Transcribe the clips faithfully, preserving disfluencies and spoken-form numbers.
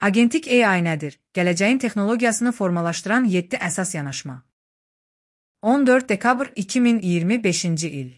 Agentik A I nədir? Gələcəyin texnologiyasını formalaşdıran yeddi əsas yanaşma. on dörd dekabr iki min iyirmi beşinci il.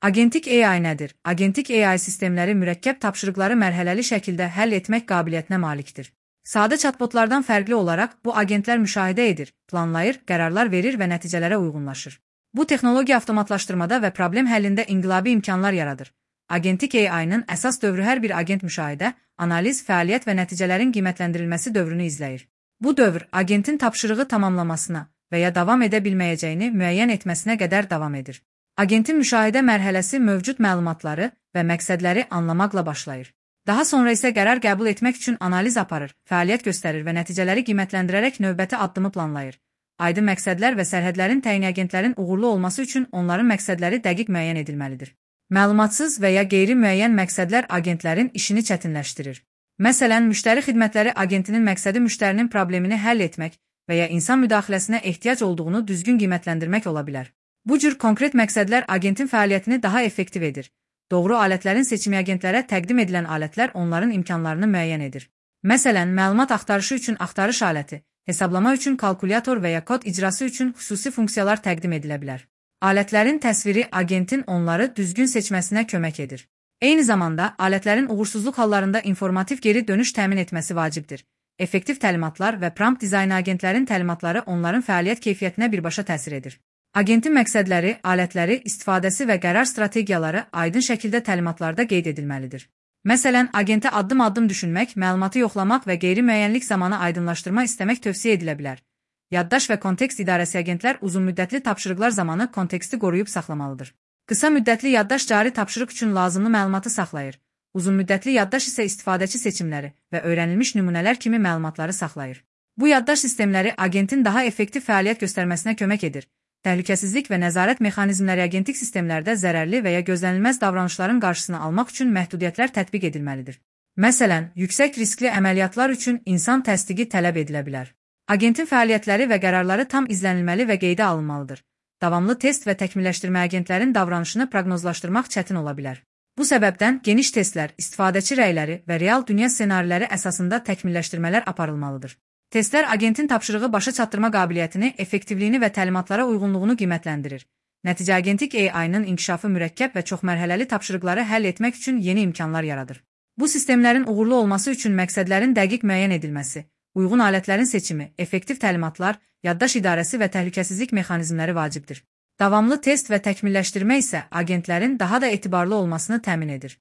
Agentik A I nədir? Agentik A I sistemləri mürəkkəb tapşırıqları mərhələli şəkildə həll etmək qabiliyyətinə malikdir. Sadə chatbotlardan fərqli olaraq bu agentlər müşahidə edir, planlayır, qərarlar verir və nəticələrə uyğunlaşır. Bu texnologiya avtomatlaşdırmada və problem həllində inqilabi imkanlar yaradır. Agentik A I-nın əsas dövrü hər bir agent müşahidə, analiz, fəaliyyət və nəticələrin qiymətləndirilməsi dövrünü izləyir. Bu dövr agentin tapşırığı tamamlamasına və ya davam edə bilməyəcəyini müəyyən etməsinə qədər davam edir. Agentin müşahidə mərhələsi mövcud məlumatları və məqsədləri anlamaqla başlayır. Daha sonra isə qərar qəbul etmək üçün analiz aparır, fəaliyyət göstərir və nəticələri qiymətləndirərək növbəti addımı planlayır. Aydın məqsədlər və sərhədlərin təyin agentlərin uğurlu olması üçün onların məqsədləri dəqiq müəyyən edilməlidir. Məlumatsız və ya qeyri-müəyyən məqsədlər agentlərin işini çətinləşdirir. Məsələn, müştəri xidmətləri agentinin məqsədi müştərinin problemini həll etmək və ya insan müdaxiləsinə ehtiyac olduğunu düzgün qiymətləndirmək ola bilər. Bu cür konkret məqsədlər agentin fəaliyyətini daha effektiv edir. Doğru alətlərin seçimi agentlərə təqdim edilən alətlər onların imkanlarını müəyyən edir. Məsələn, məlumat axtarışı üçün axtarış aləti, hesablama üçün kalkulyator və ya kod icrası üçün xüsusi funksiyalar təqdim edilə bilər. Alətlərin təsviri agentin onları düzgün seçməsinə kömək edir. Eyni zamanda, alətlərin uğursuzluq hallarında informativ geri dönüş təmin etməsi vacibdir. Effektiv təlimatlar və prompt dizaynı agentlərin təlimatları onların fəaliyyət keyfiyyətinə birbaşa təsir edir. Agentin məqsədləri, alətləri, istifadəsi və qərar strategiyaları aydın şəkildə təlimatlarda qeyd edilməlidir. Məsələn, agentə addım-addım düşünmək, məlumatı yoxlamaq və qeyri-müəyyənlik zamanı aydınlaşdırma istəmək tövsiyə edilə bilər. Yaddaş və kontekst idarəsi agentlər uzunmüddətli tapşırıqlar zamanı konteksti qoruyub saxlamalıdır. Qısa müddətli yaddaş cari tapşırıq üçün lazımlı məlumatı saxlayır. Uzunmüddətli yaddaş isə istifadəçi seçimləri və öyrənilmiş nümunələr kimi məlumatları saxlayır. Bu yaddaş sistemləri agentin daha effektiv fəaliyyət göstərməsinə kömək edir. Təhlükəsizlik və nəzarət mexanizmləri agentik sistemlərdə zərərli və ya gözlənilməz davranışların qarşısını almaq üçün məhdudiyyətlər tətbiq edilməlidir. Məsələn, yüksək riskli əməliyyatlar üçün insan təsdiqi tələb edilə bilər. Agentin fəaliyyətləri və qərarları tam izlənilməli və qeydə alınmalıdır. Davamlı test və təkmilləşdirmə agentlərin davranışını proqnozlaşdırmaq çətin ola bilər. Bu səbəbdən geniş testlər, istifadəçi rəyləri və real dünya ssenariləri əsasında təkmilləşdirmələr aparılmalıdır. Testlər agentin tapşırığı başa çatdırma qabiliyyətini, effektivliyini və təlimatlara uyğunluğunu qiymətləndirir. Nəticə agentik A I-nın inkişafı mürəkkəb və çoxmərhələli tapşırıqları həll etmək üçün yeni imkanlar yaradır. Bu sistemlərin uğurlu olması üçün məqsədlərin dəqiq müəyyən edilməsi, uyğun alətlərin seçimi, effektiv təlimatlar, yaddaş idarəsi və təhlükəsizlik mexanizmləri vacibdir. Davamlı test və təkmilləşdirmə isə agentlərin daha da etibarlı olmasını təmin edir.